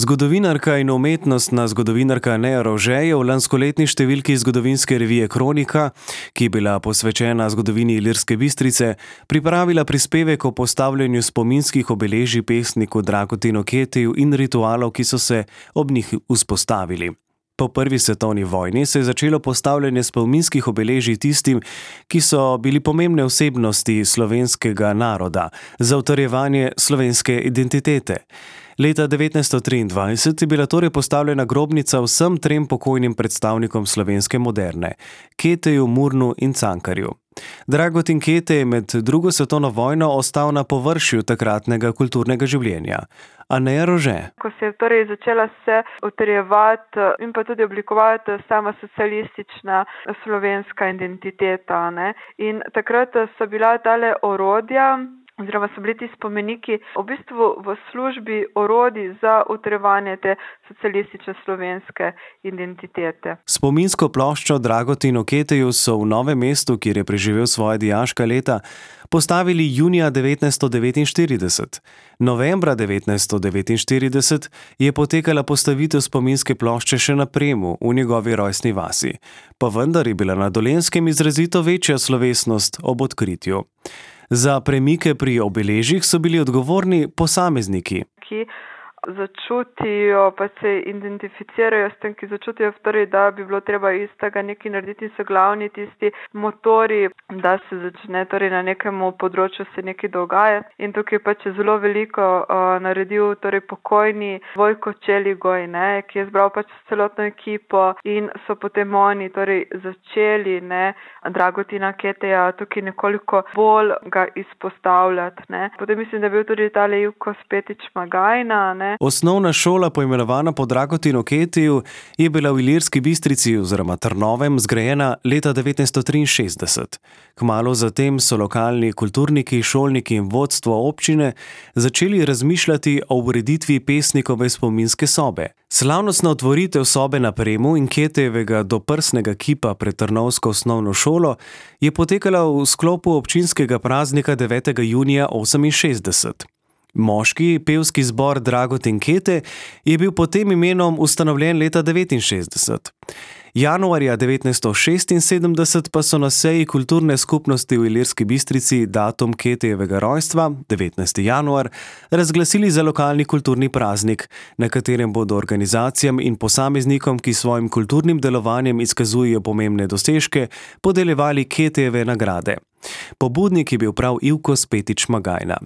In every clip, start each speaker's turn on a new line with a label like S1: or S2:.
S1: Zgodovinarka in umetnostna zgodovinarka Neja Rože je v lanskoletni številki zgodovinske revije Kronika, ki je bila posvečena zgodovini Ilirske Bistrice, pripravila prispevek o postavljanju spominskih obeležij pesniku Dragotinu Ketiju in ritualov, ki so se ob njih vzpostavili. Po prvi svetovni vojni se je začelo postavljanje spominskih obeležij tistim, ki so bili pomembne osebnosti slovenskega naroda za utrjevanje slovenske identitete. Leta 1923 je bila torej postavljena grobnica vsem trem pokojnim predstavnikom slovenske moderne, Keteju, Murnu in Cankarju. Dragotin Ketej je med drugo svetovno vojno ostal na površju takratnega kulturnega življenja. A Neja Rože.
S2: Ko se je torej začela se utrjevati in pa tudi oblikovati sama socialistična slovenska identiteta, ne? In takrat so bila tale orodja, oziroma so bili ti spomeniki v bistvu v službi orodij za utrjevanje te socialistične slovenske identitete.
S1: Spominsko ploščo Dragotinu Keteju so v Novem mestu, kjer je preživel svoja dijaška leta, postavili junija 1949. Novembra 1949 je potekala postavitev spominske plošče še na Premu, v njegovi rojstni vasi. Pa vendar je bila na Dolenjskem izrazito večja slovesnost ob odkritju. Za premike pri obeležjih so bili odgovorni posamezniki,
S2: ki začutijo, pa se identificirajo s tem, ki začutijo, torej, da bi bilo treba iz tega nekaj narediti, so glavni tisti motori, da se začne torej, na nekem področju se nekaj dogajati. In tukaj pač je zelo veliko naredil torej, pokojni Vojko Čeligoj, ne, ki je zbral pač celotno ekipo in so potem oni torej, začeli Dragotina Keteja tukaj nekoliko bolj ga izpostavljati. Ne. Potem mislim, da je bil tudi tale Ivko Spetič Magajna, ne.
S1: Osnovna šola, poimenovana po Dragotinu Ketiju, je bila v Ilirski Bistrici oziroma Trnovem zgrajena leta 1963. Kmalu zatem so lokalni kulturniki, šolniki in vodstvo občine začeli razmišljati o ureditvi pesnikove spominske sobe. Slavnostna otvoritev sobe na Premu in Ketejevega doprsnega kipa pred Trnovsko osnovno šolo je potekala v sklopu občinskega praznika 9. junija 1968. Moški pevski zbor Dragotin Ketej je bil pod tem imenom ustanovljen leta 1969. Januarja 1976 pa so na seji kulturne skupnosti v Ilirski Bistrici datum Ketejevega rojstva, 19. januar, razglasili za lokalni kulturni praznik, na katerem bodo organizacijam in posameznikom, ki svojim kulturnim delovanjem izkazujejo pomembne dosežke, podeljevali Ketejeve nagrade. Pobudnik je bil prav Ivko Spetič Magajna.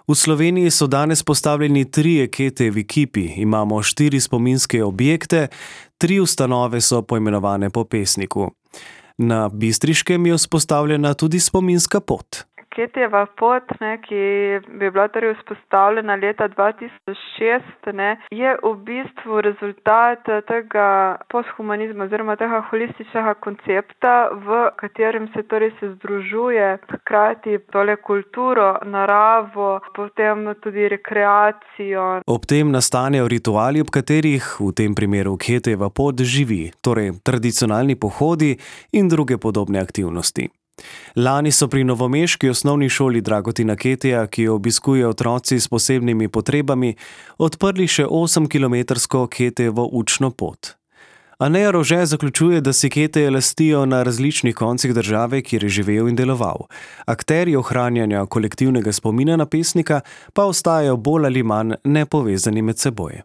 S1: V Sloveniji so danes postavljeni 3 Ketejevi kipi, imamo 4 spominske objekte, 3 ustanove so poimenovane po pesniku. Na Bistriškem je vzpostavljena tudi spominska pot.
S2: Ketejeva pot, ki bi bila torej vzpostavljena leta 2006, je v bistvu rezultat tega posthumanizma oziroma tega holističnega koncepta, v katerem se torej se združuje hkrati tole kulturo, naravo, potem tudi rekreacijo.
S1: Ob tem nastanejo rituali, ob katerih, v tem primeru Ketejeva pot, živi, torej tradicionalni pohodi in druge podobne aktivnosti. Lani so pri novomeški osnovni šoli Dragotina Keteja, ki jo obiskujejo otroci s posebnimi potrebami, odprli še 8-kilometrsko Ketejevo učno pot. A Neja Rože zaključuje, da si Keteje lastijo na različnih koncih države, kjer je živel in deloval. Akterji ohranjanja kolektivnega spomina na pesnika pa ostajajo bolj ali manj nepovezani med seboj.